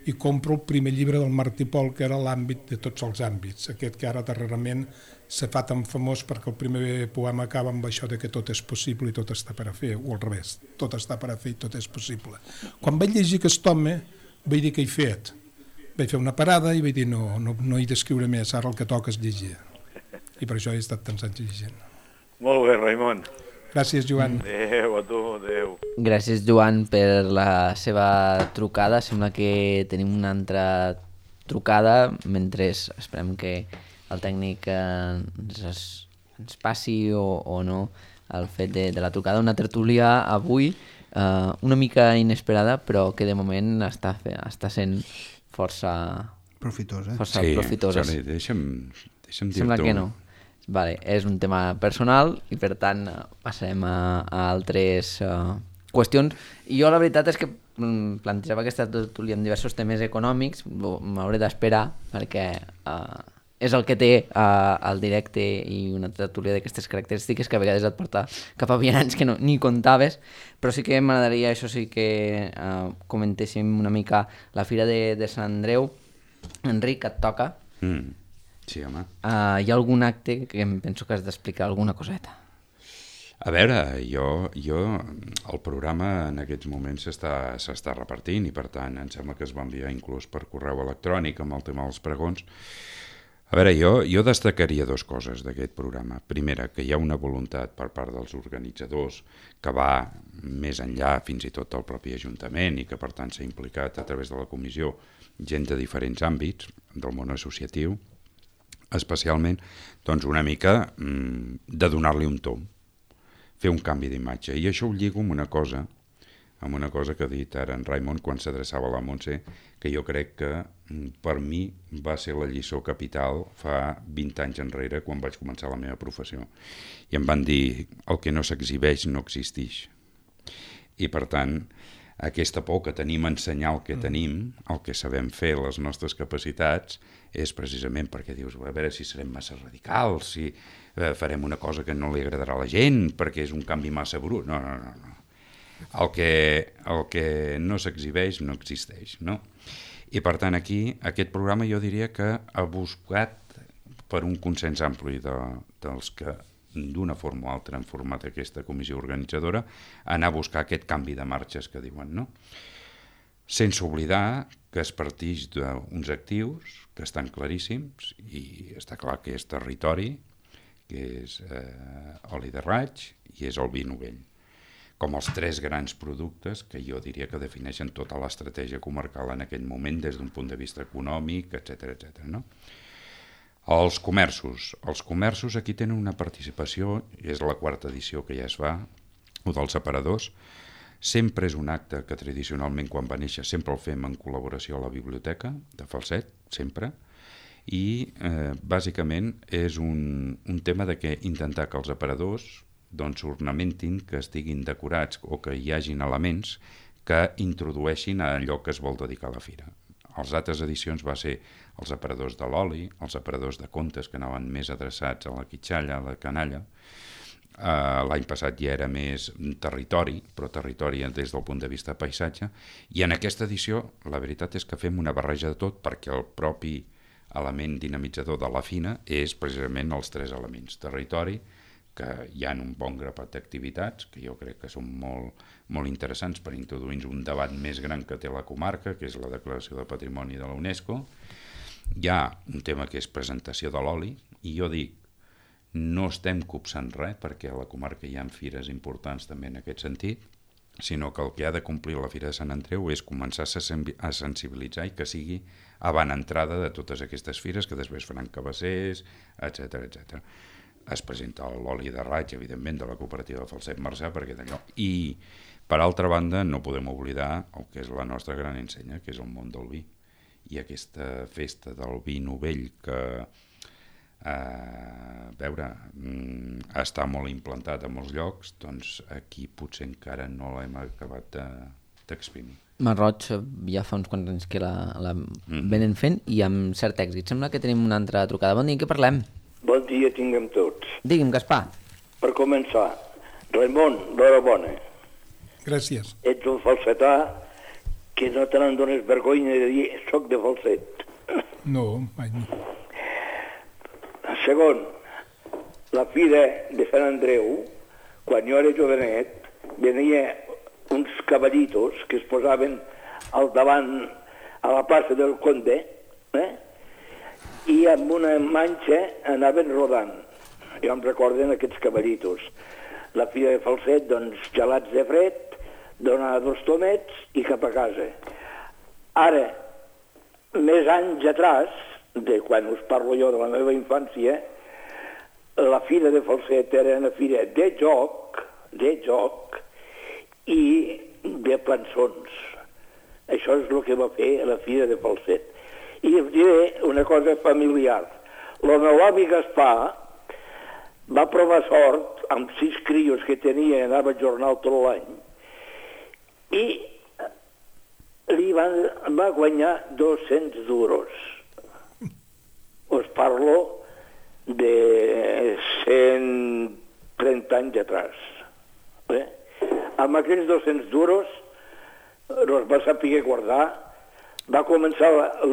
i compro el primer llibre del Martí Pol, que era l'àmbit de tots els àmbits, aquest que ara darrerament se fa tan famós perquè el primer poema acaba amb això de que tot és possible i tot està per a fer, o al revés, tot està per a fer i tot és possible. Quan vaig llegir aquest home, vaig dir què he fet. Vaig fer una parada i vaig dir no, no, no he d'escriure més, ara el que toca és llegir. I per això he estat tants anys llegint. Molt bé, Raimon. Gràcies, Joan. Adéu, a tu, adéu. Gràcies, Joan, per la seva trucada. Sembla que tenim una altra trucada, mentre esperem que el tècnic eh, ens, ens passi o, o no el fet de, de la trucada. Una tertúlia avui eh, una mica inesperada, però que de moment està, fe, està sent força, Profitosa. força Sí, profitosa. Jordi, deixa'm, deixa'm dir-t'ho. Sembla que no. Vale, és un tema personal i per tant eh, passarem a, a altres uh, qüestions. I jo la veritat és que mm, plantejava aquesta tertúlia amb diversos temes econòmics, m'hauré d'esperar perquè uh, és el que té uh, el directe i una tertúlia d'aquestes característiques que a vegades et porta cap a vianants que no, ni comptaves, però sí que m'agradaria, això sí que uh, comentéssim una mica la Fira de, de Sant Andreu. Enric, et toca. Mm. Sí, home. Uh, hi ha algun acte que em penso que has d'explicar alguna coseta. A veure, jo, jo el programa en aquests moments s'està s'està repartint i per tant em sembla que es va enviar inclús per correu electrònic amb el tema dels pregons. A veure, jo, jo destacaria dues coses d'aquest programa. Primera, que hi ha una voluntat per part dels organitzadors que va més enllà fins i tot del propi Ajuntament i que per tant s'ha implicat a través de la comissió gent de diferents àmbits del món associatiu, especialment doncs una mica mmm, de donar-li un tom, fer un canvi d'imatge. I això ho lligo amb una cosa, amb una cosa que ha dit ara en Raimon quan s'adreçava a la Montse, que jo crec que per mi va ser la lliçó capital fa vint anys enrere quan vaig començar la meva professió. I em van dir, el que no s'exhibeix no existeix. I per tant, aquesta por que tenim a ensenyar el que tenim, el que sabem fer, les nostres capacitats, és precisament perquè dius, a veure si serem massa radicals, si eh, farem una cosa que no li agradarà a la gent, perquè és un canvi massa brut. No, no, no, no. El que, el que no s'exhibeix no existeix, no? I per tant aquí, aquest programa jo diria que ha buscat per un consens ampli de, dels que d'una forma o altra han format aquesta comissió organitzadora, anar a buscar aquest canvi de marxes que diuen, no? Sense oblidar que es partix d'uns actius que estan claríssims i està clar que és territori, que és eh, oli de raig i és el vi novell, com els tres grans productes que jo diria que defineixen tota l'estratègia comarcal en aquell moment des d'un punt de vista econòmic, etcètera, etcètera, no? Els comerços. Els comerços aquí tenen una participació, i és la quarta edició que ja es fa, o dels aparadors. Sempre és un acte que tradicionalment quan va néixer sempre el fem en col·laboració a la biblioteca de Falset, sempre, i eh, bàsicament és un, un tema de que intentar que els aparadors doncs ornamentin, que estiguin decorats o que hi hagin elements que introdueixin a allò que es vol dedicar a la fira. A les altres edicions va ser els aparadors de l'oli, els aparadors de contes que anaven més adreçats a la quitxalla, a la canalla. Uh, l'any passat ja era més territori, però territori des del punt de vista paisatge, i en aquesta edició la veritat és que fem una barreja de tot perquè el propi element dinamitzador de la fina és precisament els tres elements, territori, que hi ha un bon grapat d'activitats que jo crec que són molt, molt interessants per introduir un debat més gran que té la comarca, que és la declaració de patrimoni de la UNESCO. Hi ha un tema que és presentació de l'oli, i jo dic, no estem copsant res, perquè a la comarca hi ha fires importants també en aquest sentit, sinó que el que ha de complir la Fira de Sant Andreu és començar a sensibilitzar i que sigui avant entrada de totes aquestes fires que després faran cabassers, etcètera, etcètera. Es presenta l'oli de raig, evidentment, de la cooperativa Falset Marçà, perquè d'allò. I, per altra banda, no podem oblidar el que és la nostra gran ensenya, que és el món del vi. I aquesta festa del vi novell que, eh, a veure, està molt implantat a molts llocs, doncs aquí potser encara no l'hem acabat d'exprimir. Marroig ja fa uns quants anys que la, la mm. venen fent i amb cert èxit. Sembla que tenim una altra trucada. Bon dia, què parlem? Bon dia tinguem tots. Digui'm, Gaspar. Per començar, Raimon, l'horabona. Gràcies. Ets un falsetà que no te n'en dones vergonya de dir soc de Falset. No, mai no. Segon, la fira de Sant Andreu, quan jo era jovenet, venia uns cavallitos que es posaven al davant a la plaça del Conde, eh? I amb una manxa anaven rodant. Jo em recorden aquests cavallitos. La fira de Falset, doncs, gelats de fred, donar dos tomets i cap a casa. Ara, més anys atrás, de quan us parlo jo de la meva infància, la fira de Falset era una fira de joc, de joc i de plançons. Això és el que va fer la fira de Falset. I us diré una cosa familiar. El meu avi Gaspar va provar sort amb sis crios que tenia i anava a jornal tot l'any i li van, va guanyar dos-cents duros. Us parlo de cent trenta anys atrás. Eh? Amb aquells dos-cents duros els va saber guardar. Va començar el,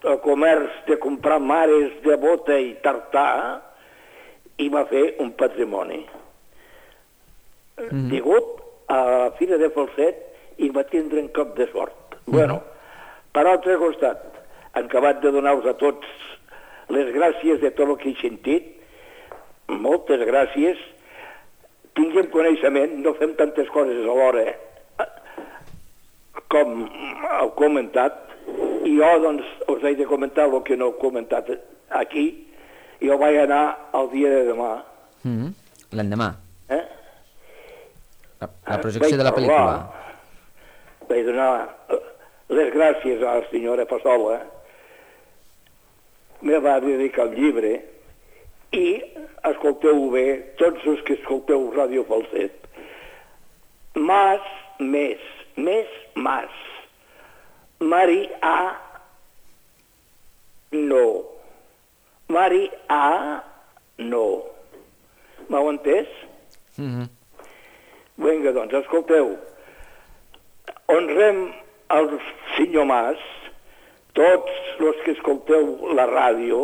el comerç de comprar mares de bota i tartà i va fer un patrimoni. Mm. Degut a la Fira de Falset i va tindre un cop de sort. Mm. Bueno, per altre costat, han acabat de donar-vos a tots les gràcies de tot el que he sentit. Moltes gràcies. Tinguem coneixement, no fem tantes coses alhora com heu comentat, i jo doncs us he de comentar el que no heu comentat aquí. Jo vaig anar el dia de demà. Mm-hmm. L'endemà? Eh? La, la projecció de la pel·lícula. Vaig donar les gràcies a la senyora Passola, me va dedicar el llibre i escolteu bé, tots els que escolteu Ràdio Falset. Mas, més, més, mas. Mari A, no. Mari A, no. M'heu entès? Mm-hmm. Vinga, doncs, escolteu. Honrem el senyor Mas, tots els que escolteu la ràdio,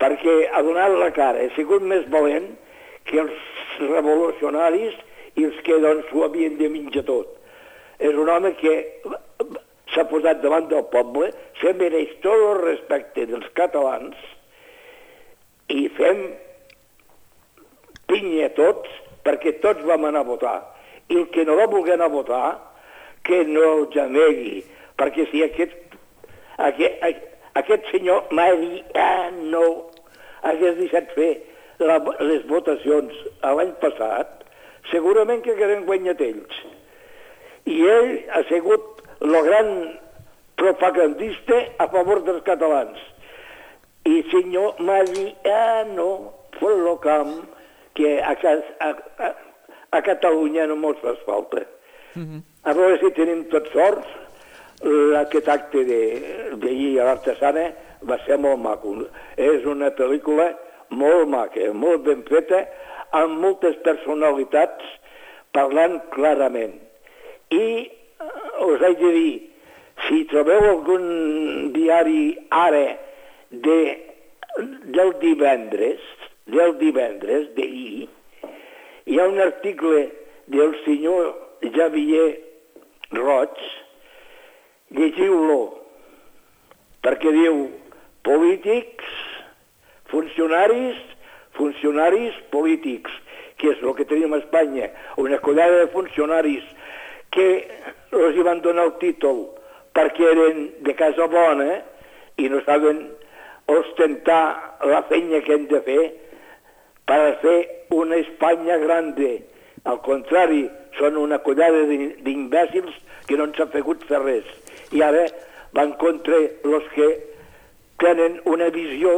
perquè ha donat la cara, ha sigut més valent que els revolucionaris i els que doncs ho havien de menjar tot. És un home que s'ha posat davant del poble, se mereix tot el respecte dels catalans i fem pinya tots perquè tots vam anar a votar. I el que no va voler anar a votar, que no el gemegui, perquè si aquest, aquest, aquest senyor Mariano hagués deixat fer la, les votacions l'any passat, segurament que hagueren guanyat ells. I ell ha sigut el gran propagandista a favor dels catalans. I senyor Mariano Folocam, que a, a, a, a Catalunya no mos fa falta. Mm-hmm. A veure si tenim tots sorts. Aquest acte d'ahir a l'Artesana va ser molt maco. És una pel·lícula molt maca, molt ben feta, amb moltes personalitats parlant clarament. I us haig de dir, si trobeu algun diari ara de, del divendres, del divendres d'ahir, hi ha un article del senyor Javier Roig, llegiu-lo, perquè diu polítics, funcionaris, funcionaris polítics, que és el que tenim a Espanya, una collada de funcionaris que els hi van donar el títol perquè eren de casa bona i no saben ostentar la feina que hem de fer per fer una Espanya grande. Al contrari, són una collada d'imbècils que no ens han fegut fer res. I ara van contra els que tenen una visió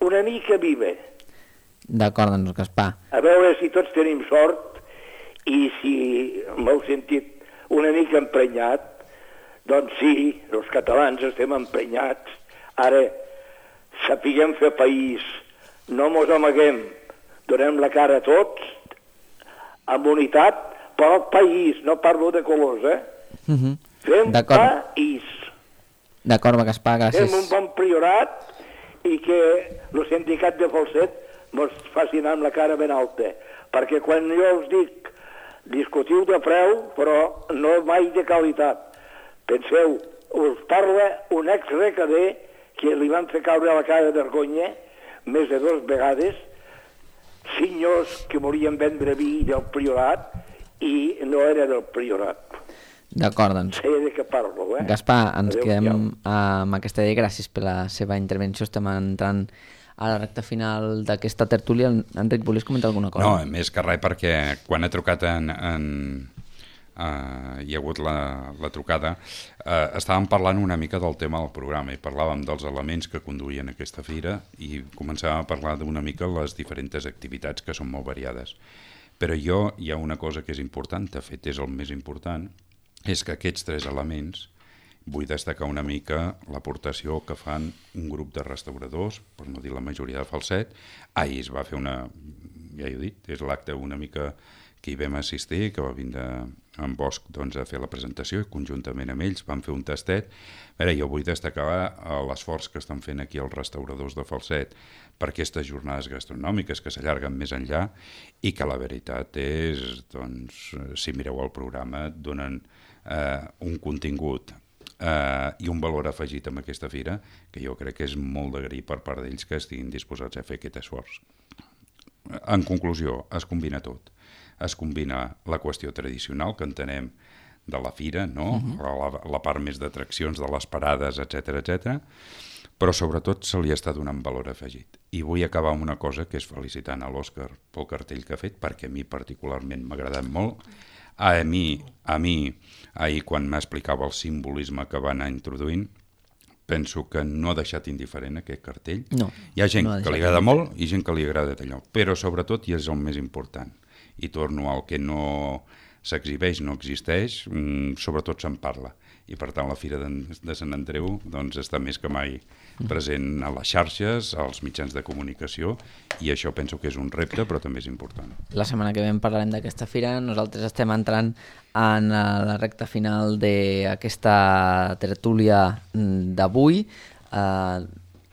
una mica viva. D'acord, doncs, Gaspar. A veure si tots tenim sort i si m'heu sentit una mica emprenyat, doncs sí, els catalans estem emprenyats. Ara, sapiguem fer país, no mos amaguem, donem la cara a tots, amb unitat, però el país, no parlo de colors, eh? Mm-hmm. Fem país. D'acord, Gaspar, gràcies. Fem un bon priorat i que el sindicat de Falset mos faci anar amb la cara ben alta, perquè quan jo us dic discutiu de preu, però no mai de qualitat. Penseu, us parla un ex-recader que li van fer caure a la cara de vergonya més de dues vegades, senyors que volien vendre vi del priorat i no era del priorat. D'acord, doncs. Sé de què parlo, eh? Gaspar, ens Adéu, quedem ja. amb aquesta idea. Gràcies per la seva intervenció. Estem entrant a la recta final d'aquesta tertúlia. Enric, volies comentar alguna cosa? No, més que res perquè quan he trucat en... en uh, hi ha hagut la, la trucada, uh, estàvem parlant una mica del tema del programa i parlàvem dels elements que conduïen aquesta fira i començàvem a parlar d'una mica les diferents activitats que són molt variades. Però jo, hi ha una cosa que és important, de fet és el més important, és que aquests tres elements vull destacar una mica l'aportació que fan un grup de restauradors, per no dir la majoria de Falset. Ahir es va fer una, ja he dit, és l'acte una mica que hi vam assistir, que va vindre en Bosch doncs, a fer la presentació i conjuntament amb ells van fer un tastet. A veure, jo vull destacar l'esforç que estan fent aquí els restauradors de Falset per aquestes jornades gastronòmiques que s'allarguen més enllà i que la veritat és, doncs, si mireu el programa, et donen eh, un contingut eh, i un valor afegit amb aquesta fira que jo crec que és molt d'agrair per part d'ells que estiguin disposats a fer aquest esforç. En conclusió, es combina tot. Es combina la qüestió tradicional que entenem de la fira, no? Uh-huh. la, la part més d'atraccions de les parades, etcètera, etcètera, però sobretot se li està donant valor afegit. I vull acabar amb una cosa, que és felicitant a l'Òscar pel cartell que ha fet, perquè a mi particularment m'ha agradat molt. A mi, a mi ahir quan m'explicava el simbolisme que va anar introduint, penso que no ha deixat indiferent aquest cartell. No, Hi ha gent no ha que li deixat agrada molt i gent que li agrada d'allò, però sobretot, i és el més important, i torno al que no s'exhibeix, no existeix, mmm, sobretot se'n parla. I per tant la Fira de, de Sant Andreu doncs, està més que mai present a les xarxes, als mitjans de comunicació, i això penso que és un repte, però també és important. La setmana que ve en parlarem d'aquesta fira. Nosaltres estem entrant en la recta final d'aquesta tertúlia d'avui. Uh,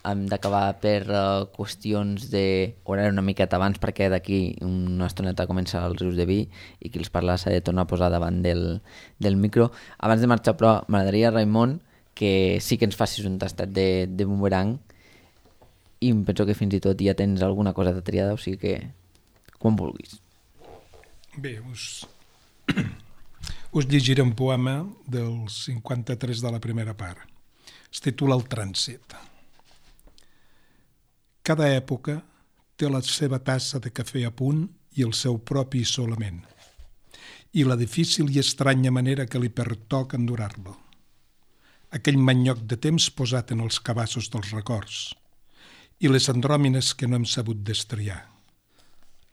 hem d'acabar per uh, qüestions d'horari una miqueta abans, perquè d'aquí una estoneta comença els rius de vi i qui els parla s'ha de tornar a posar davant del, del micro. Abans de marxar, però, m'agradaria, Raimon, que sí que ens facis un tastat de, de boomerang, i em penso que fins i tot ja tens alguna cosa de triada, o sigui que quan vulguis. Bé, us, us llegiré un poema del cinquanta-tres de la primera part. Es titula El trànsit. Cada època té la seva tassa de cafè a punt i el seu propi isolament, i la difícil i estranya manera que li pertoca endurar-lo. Aquell manyoc de temps posat en els cabassos dels records, i les andròmines que no hem sabut destriar.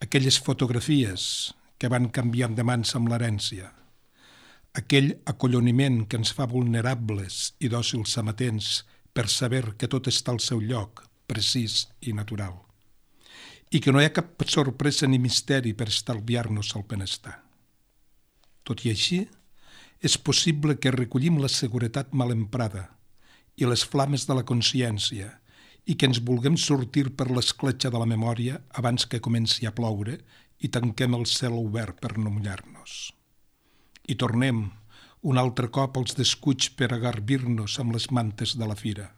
Aquelles fotografies que van canviant de mans amb l'herència. Aquell acolloniment que ens fa vulnerables i dòcils amatents per saber que tot està al seu lloc, precís i natural, i que no hi ha cap sorpresa ni misteri per estalviar-nos el benestar. Tot i així, és possible que recollim la seguretat mal emprada i les flames de la consciència i que ens vulguem sortir per l'escletxa de la memòria abans que comenci a ploure i tanquem el cel obert per no mullar-nos. I tornem un altre cop als descuits per agarbir-nos amb les mantes de la fira.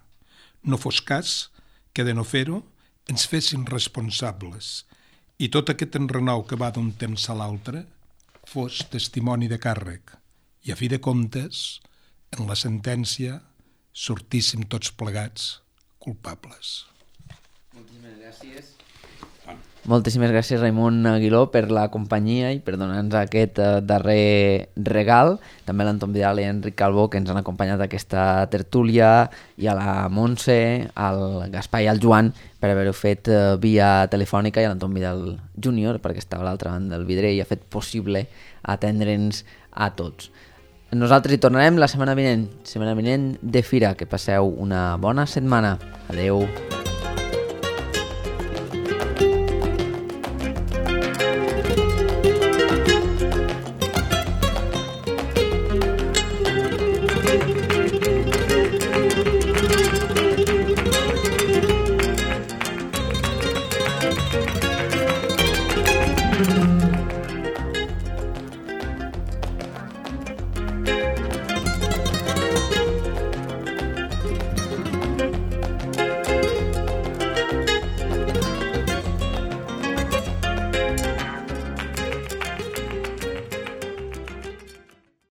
No fos cas que de no fer-ho ens fessin responsables i tot aquest enrenou que va d'un temps a l'altre fos testimoni de càrrec i a fi de comptes, en la sentència, sortíssim tots plegats culpables. Moltíssimes gràcies. Moltíssimes gràcies, Raimon Aguiló, per la companyia i per donar-nos aquest uh, darrer regal. També a l'Anton Vidal i a Enric Calvo, que ens han acompanyat a aquesta tertúlia, i a la Montse, al Gaspar i al Joan, per haver-ho fet uh, via telefònica, i a l'Anton Vidal júnior, perquè estava a l'altra banda del vidre i ha fet possible atendre'ns a tots. Nosaltres hi tornarem la setmana vinent, setmana vinent de fira. Que passeu una bona setmana. Adeu.